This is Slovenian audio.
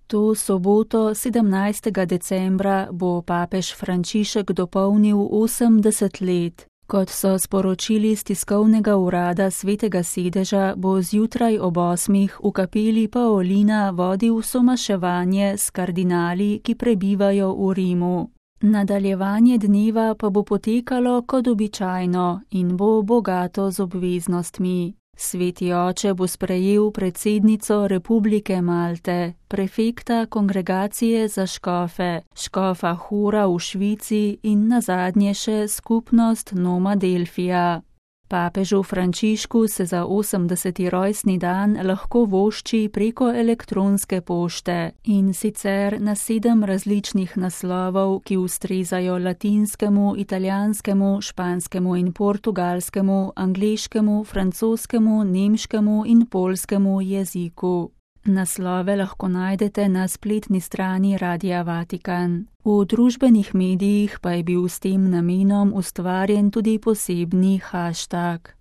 To soboto 17. decembra bo papež Frančišek dopolnil 80 let. Kot so sporočili z tiskovnega urada Svetega sedeža, bo zjutraj ob 8. v kapeli Paolina vodil somaševanje s kardinali, ki prebivajo v Rimu. Nadaljevanje dneva pa bo potekalo kot običajno in bo bogato z obveznostmi. Sveti oče bo sprejel predsednico Republike Malte, prefekta kongregacije za škofe, škofa Hura v Švici in nazadnje še skupnost Noma Delfija. Papežu Frančišku se za 80. rojstni dan lahko vošči preko elektronske pošte, in sicer na 7 različnih naslovov, ki ustrezajo latinskemu, italijanskemu, španskemu in portugalskemu, angleškemu, francoskemu, nemškemu in poljskemu jeziku. Naslove lahko najdete na spletni strani Radia Vatikan. V družbenih medijih pa je bil s tem namenom ustvarjen tudi posebni hashtag.